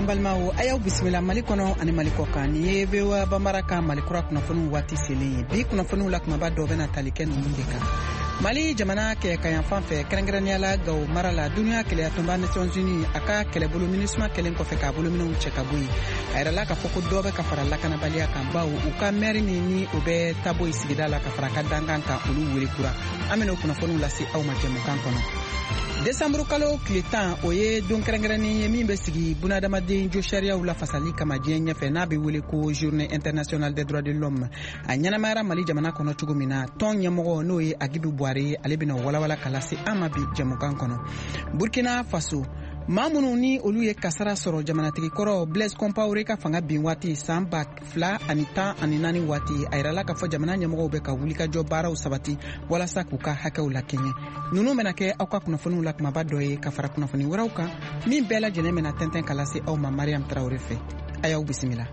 An balimaw, a y'aw bisimila Mali kɔnɔ ani Mali kɔ kan. Nin ye VOA Bambara ka Mali kura kunnafoniw waati selen ye. Bi kunnafoniw la kumaba dɔ bɛna tali kɛ ninnu de kan. Mali jamana kɛɲɛkayanfan fɛ, kɛrɛnkɛrɛnnenya la Gawo mara la, duniya kelenyatɔnba Nations Unies a ka kɛlɛbolo MINUSMA kɛlen kɔfɛ k'a bolominɛw cɛ ka bɔ yen, a yirala k'a fɔ ko dɔ bɛ ka fara lakanabaliya kan, bawo u ka mɛri min ni o bɛ Taboyi sigida la ka fara ka dankan kan, olu wele kura. An bɛna o kunnafoniw lase aw ma jɛmukan kɔnɔ. Desanburu kalo tile 10, o ye don kɛrɛnkɛrɛnnen ye min bɛ sigi bunadamaden josariyaw lafasali kama diɲɛ ɲɛfɛ, n'a bɛ wele ko Journée internationale des droits de l'homme. A ɲɛnamayara Mali jamana kɔnɔ cogo min na, tɔn ɲɛmɔgɔ n'o ye Agibu Buware ye, ale bɛna walawala ka lase an ma bi jɛmukan kɔnɔ. Burkina Faso, maa minnu ni olu ye kasara sɔrɔ jamanatigi kɔrɔ Blaise Compaoré ka fanga bin waati san 2014 waati, a yirala k'a fɔ jamana ɲɛmɔgɔw bɛ ka wulikajɔ baaraw sabati walasa k'u ka hakɛw lakɛɲɛ. Ninnu bɛna kɛ aw ka kunnafoniw la kumaba dɔ ye ka fara kunnafoni wɛrɛw kan min bɛɛ lajɛlen bɛna tɛntɛn ka lase aw ma Mariam Tarawele fɛ. A y'aw bisimila.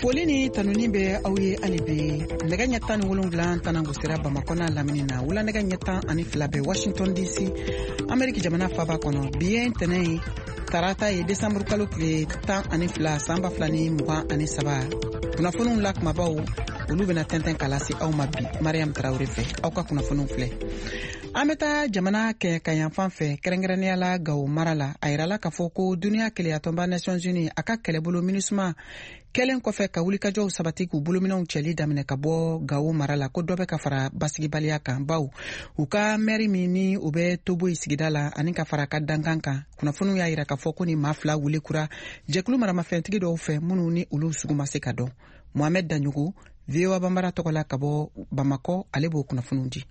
Foli ni tanuni bɛ aw ye hali bi. Nɛgɛ ɲɛ 17 tanan gosira Bamakɔ n'a lamini na, wula nɛgɛ ɲɛ 12 bɛ Washington DC, Ameriki jamana faba kɔnɔ. Bi ye ntɛnɛn ye, tarata ye, desanburu kalo tile 12 san 2023. Kunnafoniw la kumabaw, olu bɛna tɛntɛn ka lase aw ma bi Mariam Tarawele fɛ. Aw ka kunnafoniw filɛ. An bɛ taa jamana kɛɲɛkayanfan fɛ, kɛrɛnkɛrɛnnenya la Gawo mara la. A yirala k'a fɔ ko duniya kelenyatɔnba Nations Unies a ka kɛlɛbolo MINUSMA kɛlen kɔfɛ ka wulikajɔw sabati k'u bolominɛw cɛli daminɛ ka bɔ Gawo mara la, ko dɔ bɛ ka fara basigibaliya kan, bawo u ka mɛri min ni o bɛ Toboyi sigida la ani ka fara ka dankan kan, kunnafoniw y'a yira k'a fɔ ko ni maa fila wele kura jɛkulu maramafɛntigi dɔw fɛ minnu ni olu sugu ma se ka dɔn. Mohamed Daɲogo, VOA Bambara tɔgɔ la ka bɔ Bamakɔ, ale b'o kunnafoniw di.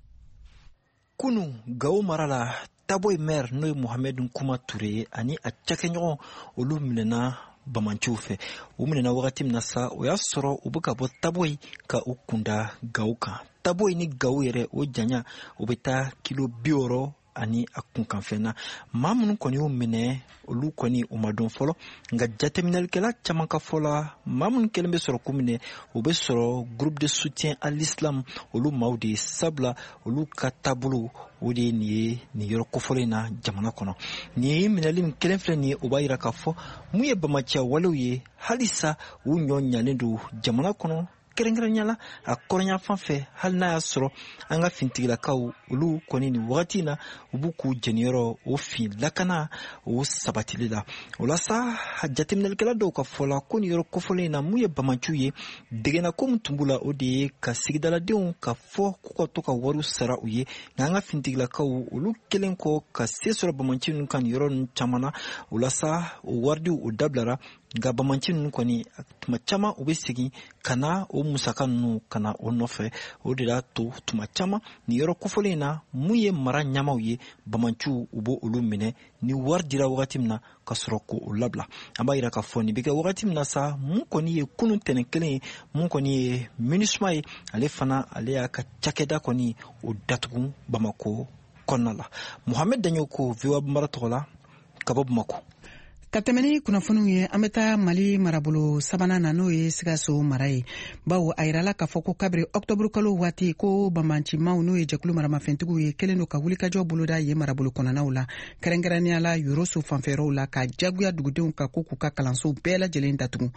Kunu Gawo mara la, Taboyi maire n'o ye Mohamed Kuma Ture ye ani a cakɛɲɔgɔn, olu minɛna bamanciw fɛ. U minɛna wagati min na sa, o y'a sɔrɔ u bɛ ka bɔ Taboyi ka u kunda Gawo kan. Taboyi ni Gawo yɛrɛ, o janya o bɛ taa kilo 60 ani a kunkanfɛn na. Maa minnu kɔni y'u minɛ, olu kɔni u ma dɔn fɔlɔ, nka jateminɛlikɛla caman ka fɔ la, maa minnu kɛlen bɛ sɔrɔ k'u minɛ, o bɛ sɔrɔ groupe de soutien à l'islam olu maaw de ye, sabula olu ka taabolo o de ye nin ye nin yɔrɔ kofɔlen in na jamana kɔnɔ. Nin minɛli min kelen filɛ nin ye, o b'a yira k'a fɔ mun ye bamaciya walew ye, halisa u ɲɔ ɲalen don jamana kɔnɔ, kɛrɛnkɛrɛnya la a kɔrɔnyanfan fɛ, hali n'a y'a sɔrɔ an ka fintigilakaw olu kɔni nin wagati in na u b'u k'u jeniyɔrɔ o fin lakana o sabatili la. O la sa, jateminɛlikɛla dɔw ka fɔ la ko nin yɔrɔ kofɔlen in na, mun ye bamaciw ye, degena ko min tun b'u la, o de ye ka sigidaladenw ka fɔ k'u ka to ka wariw sara u ye. Nka an ka fintigilakaw olu kɛlen kɔ ka se sɔrɔ bamaci ninnu kan nin yɔrɔ ninnu caman na, o la sa o waridiw o dabilara. Nka bamaci ninnu kɔni tuma caman u bɛ segin ka na o musaka ninnu ka na o nɔfɛ. O de y'a to tuma caman nin yɔrɔ kofɔlen in na, mun ye mara ɲɛmaaw ye, bamaciw u b'o olu minɛ ni wari dira wagati min na ka sɔrɔ k'o labila. An b'a yira k'a fɔ nin bɛ kɛ wagati min na sa, mun kɔni ye kunun tɛnɛn kelen ye, mun kɔni ye MINUSMA ye, ale fana ale y'a ka cakɛda kɔni o datugu Bamakɔ kɔnɔna la. Mohamed Daɲoko, VOA Bambara tɔgɔ la ka bɔ Bamakɔ. Ka tɛmɛ ni kunnafoniw ye, an bɛ taa Mali marabolo sabanan na, n'o ye Sikaso mara ye, bawo a yirala k'a fɔ ko kabiri ɔktɔburu kalo waati ko banbancimaw, n'o ye jɛkulu maramafɛntigiw ye, kɛlen don ka wulikajɔ boloda ye marabolo kɔnɔnaw la, kɛrɛnkɛrɛnnenya la Yoroso fanfɛyɔrɔw la, ka jagoya dugudenw ka ko k'u ka kalansow bɛɛ lajɛlen datugu.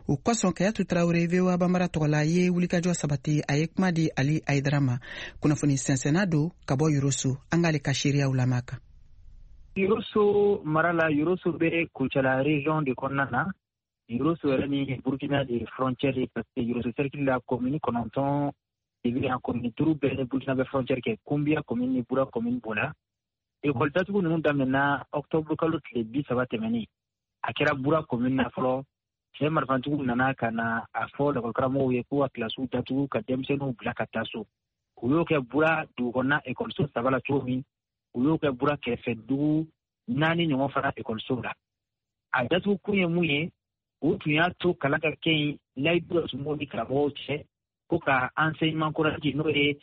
O kosɔn, Kayatu Tarawele, VOA Bambara tɔgɔ la, ye wulikajɔ sabati. A ye kuma di Ali Ayidara ma, kunnafoni sɛnsɛnna don ka bɔ Yoroso. An k'ale ka seereyaw lamɛn kan. Yoroso mara la, Yoroso bɛ Kucala région de kɔnɔna na. Yoroso yɛrɛ ni Burkina de frontière ye, parce que Yoroso cercle la, commune 9 de bɛ yan. Commune 5 bɛɛ ni Burkina bɛ frontière kɛ, Kunbiya commune ni Bura commune b'o la. École datugu ninnu daminɛna octobre kalo tile 30 tɛmɛnen. A kɛra Bura commune na fɔlɔ. Cɛ marifantigiw nana ka na a fɔ lakɔlikaramɔgɔw ye k'u ka kilasiw datugu ka denmisɛnninw bila ka taa so. U y'o kɛ Bura dugukɔnɔna ekɔliso 3 la cogo min, u y'o kɛ Bura kɛrɛfɛ dugu 4 ɲɔgɔn fana ekɔlisow la. A datugu kun ye mun ye? U tun y'a to kalan ka kɛ yen layidu dɔ tun b'u ni karamɔgɔw cɛ ko ka enseignement coranique, n'o ye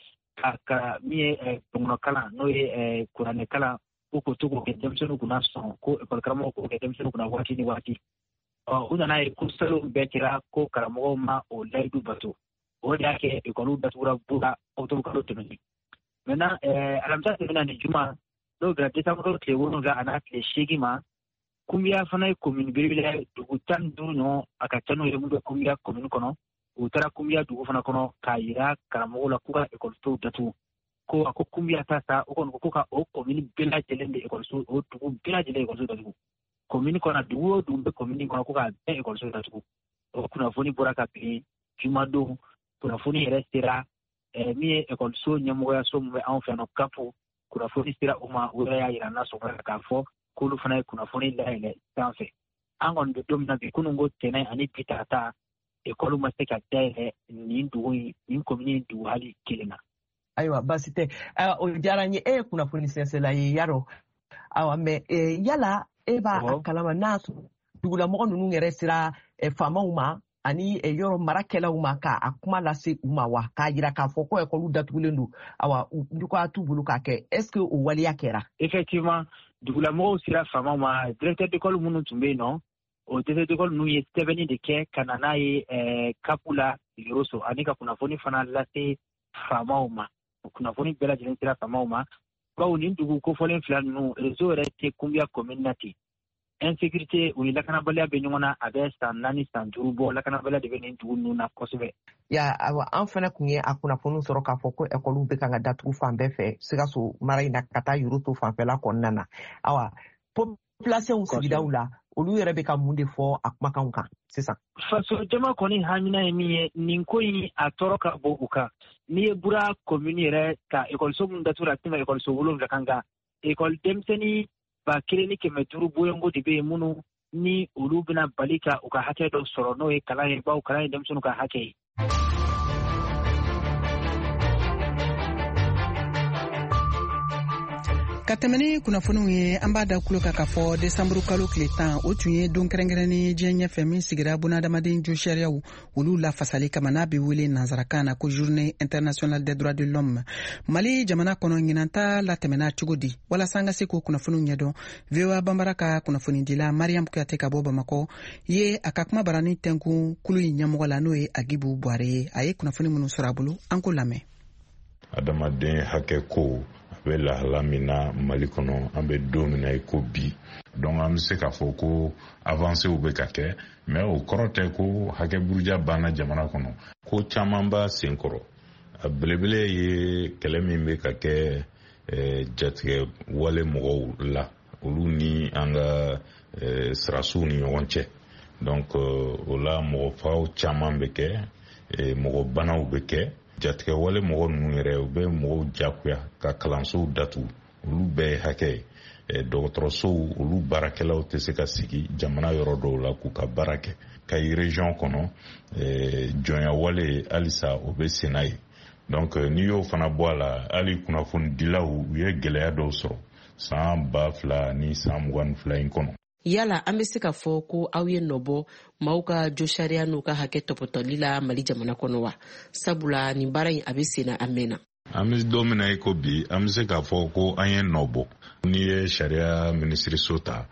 ka min ye dɔnkɔnɔkalan, n'o ye kuranɛkalan, ko k'o to k'o kɛ denmisɛnninw kunna sɔn ko ekɔli karamɔgɔw k'o kɛ denmisɛnninw kunna waati ni waati. Ɔ, u nana ye ko salon bɛɛ kɛra ko karamɔgɔw ma o layidu bato. O de y'a kɛ ekɔliw datugura Bura octobre kalo tɛmɛnen. Maintenant alamisa tɛmɛna ni juma, n'o bɛnna décembre tile 7 a n'a tile 8 ma, Kunbiya fana ye commune belebele ye, dugu 15 ɲɔgɔn a ka ca n'o ye mun bɛ Kunbiya commune kɔnɔ. U taara Kunbiya dugu fana kɔnɔ k'a yira karamɔgɔw la k'u ka ekɔlisow datugu. Ko a ko Kunbiya ta sa, o kɔni ko ka o commune bɛɛ lajɛlen de ekɔliso, o dugu bɛɛ lajɛlen ekɔliso datugu. Commune kɔnɔ, dugu o dugu bɛ commune kɔnɔ, ko k'a bɛɛ ekɔliso datugu. O kunnafoni bɔra ka bin jumadon. Kunnafoni yɛrɛ sera min ye ekɔliso ɲɛmɔgɔyaso min bɛ anw fɛ yan nɔ, CAP, kunnafoni sera o ma. O yɛrɛ y'a yira n na sɔgɔmada k'a fɔ k'olu fana ye kunnafoni dayɛlɛ sanfɛ. An kɔni bɛ don min na bi, kunun ko tɛnɛn ani bi tarata, ekɔli ma se ka dayɛlɛ nin dugu in, nin komini in dugu hali kelen na. Ayiwa, baasi tɛ. O diyara n ye. E ye kunnafoni sɛnsɛnla ye yarɔ. Ayiwa, mais yala e b'a kalama n'a sɔrɔ dugulamɔgɔ ninnu yɛrɛ sera faamaw ma ani yɔrɔ marakɛlaw ma k'a kuma lase u ma wa, k'a yira k'a fɔ ko ekɔliw datugulen don, awa ko t'u bolo k'a kɛ, est ce que o waleya kɛra? Effectivement, dugulamɔgɔw sera faamaw ma. Directeur d'école minnu tun bɛ yen nɔ, o directeur d'école ninnu ye sɛbɛnni de kɛ ka na n'a ye CAP la Yoroso, ani ka kunnafoni fana lase faamaw ma. O kunnafoni bɛɛ lajɛlen sera faamaw ma, bawo nin dugu kofɔlen fila ninnu, réseau yɛrɛ tɛ Kunbiya commune na ten. Insécurité, u ni lakanabaliya bɛ ɲɔgɔn na, a bɛ san 4 san 5 bɔ, lakanabaliya de bɛ nin dugu ninnu na kosɛbɛ. Ya, awa, an fana kun ye a kunnafoniw sɔrɔ k'a fɔ ko ekɔliw bɛ kan ka datugu fan bɛɛ fɛ Sikaso mara in na ka taa Yoroso fanfɛla kɔnɔna na. Awa, population sigidaw la, olu yɛrɛ bɛ ka mun de fɔ a kumakanw kan sisan? Faso jama kɔni hamina ye min ye, nin ko in a tɔɔrɔ ka bon u kan. N'i ye Bura commune yɛrɛ ta, ekɔliso minnu datugura, a tɛmɛ ekɔliso 7 kan, nka ekɔli denmisɛnnin 1500 boyongo de bɛ yen minnu ni olu bɛna bali ka u ka hakɛ dɔ sɔrɔ, n'o ye kalan ye, bawo kalan ye denmisɛnninw ka hakɛ ye. Ka tɛmɛ ni kunnafoniw ye, an b'a da kulo kan k'a fɔ desanburu kalo tile 10, o tun ye don kɛrɛnkɛrɛnnen diɲɛ ɲɛfɛ min sigira bunadamaden josariyaw olu lafasali kama, n'a bɛ wele nansarakan na ko Journée internationale des droits de l'homme. Mali jamana kɔnɔ, ɲinanta latɛmɛna cogo di? Walasa an ka se k'o kunnafoniw ɲɛdɔn, VOA Banbara ka kunnafonidila Mariam Kuyate ka bɔ Bamakɔ ye a ka kuma barani tɛnkun kulu in ɲɛmɔgɔ la, n'o ye Agibu Buware ye. A ye kunnafoni minnu sɔrɔ a bolo, an k'o lamɛn. Adamaden hakɛ ko a bɛ lahala min na Mali kɔnɔ, an bɛ don min na i ko bi, donc an bɛ se k'a fɔ ko avancew bɛ ka kɛ, mais o kɔrɔ tɛ ko hakɛ buruja banna jamana kɔnɔ. Ko caman b'a sen kɔrɔ. A belebele ye kɛlɛ min bɛ ka kɛ jatigɛ wale mɔgɔw la, olu ni an ka sirasiw ni ɲɔgɔn cɛ. Donc o la mɔgɔ faw caman bɛ kɛ, mɔgɔ banaw bɛ kɛ. Jatigɛ wale mɔgɔ ninnu yɛrɛ, u bɛ mɔgɔw jagoya ka kalansow datugu, olu bɛɛ ye hakɛ ye. Dɔgɔtɔrɔsow, olu baarakɛlaw tɛ se ka sigi jamana yɔrɔ dɔw la k'u ka baara kɛ. Kayi région kɔnɔ, jɔnya wale halisa o bɛ senna ye. Donc n'i y'o fana bɔ a la, hali kunnafonidilaw, u ye gɛlɛya dɔw sɔrɔ san 2022 in kɔnɔ. Yala an bɛ se ka fɔ ko aw ye nɔbɔ maaw ka josariya n'u ka hakɛ tɔpɔtɔli la Mali jamana kɔnɔ wa? Sabula nin baara in a bɛ senna a mɛnna. An bɛ don min na i ko bi, an bɛ se k'a fɔ ko an ye nɔ bɔ. N'i ye sariya minisiriso ta,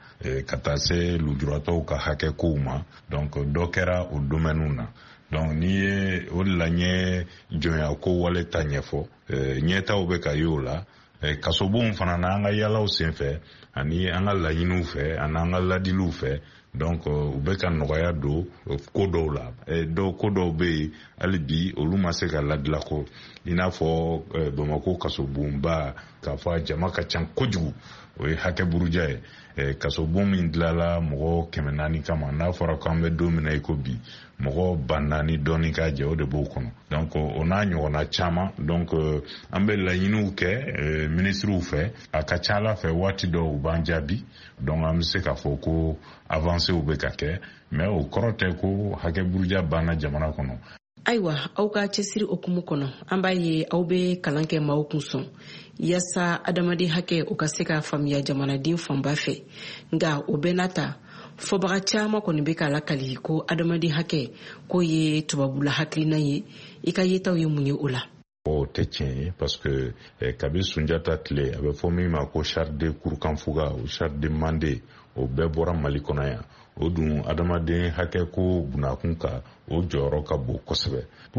ka taa se lujuratɔw ka hakɛ kow ma, donc dɔ kɛra o domaine na. Donc n'i ye o de la, n ye jɔnya ko wale ta ɲɛfɔ, ɲɛtaw bɛ ka ye o la. Kasobonw fana na, an ka yalaw senfɛ ani an ka laɲiniw fɛ ani an ka ladiliw fɛ, donc u bɛ ka nɔgɔya don ko dɔw la. Dɔw ko dɔw bɛ yen hali bi, olu ma se ka ladila ko i n'a fɔ Bamakɔ kasobonba, k'a fɔ a jama ka ca kojugu, o ye hakɛ buruja ye. Kasobon min dilanla mɔgɔ 400 kama, n'a fɔra k'an bɛ don min na i ko bi, mɔgɔ 4000 dɔɔni ka jɛ, o de b'o kɔnɔ. Donc o n'a ɲɔgɔnna caman. Donc an bɛ laɲiniw kɛ minisiriw fɛ, a ka ca ala fɛ waati dɔw u b'an jaabi. Donc an bɛ se k'a fɔ ko avancew bɛ ka kɛ, mais o kɔrɔ tɛ ko hakɛ buruja banna jamana kɔnɔ. Ayiwa, aw ka cɛsiri okumu kɔnɔ, an b'a ye aw bɛ kalan kɛ maaw kun sɔn yaasa adamaden hakɛ o ka se ka faamuya jamanaden fanba fɛ. Nka o bɛɛ n'a ta, fɔbaga caman kɔni bɛ k'a lakali ko adamaden hakɛ k'o ye tubabula hakilina ye. I ka yetaw ye mun ye o la? O tɛ tiɲɛ ye, parce que kabi Sunjata tile, a bɛ fɔ min ma ko charte de Kurukanfuga, o charte de Mande, o bɛɛ bɔra Mali kɔnɔ yan. O dun adamaden hakɛ ko bunakun kan, o jɔyɔrɔ ka bon kosɛbɛ.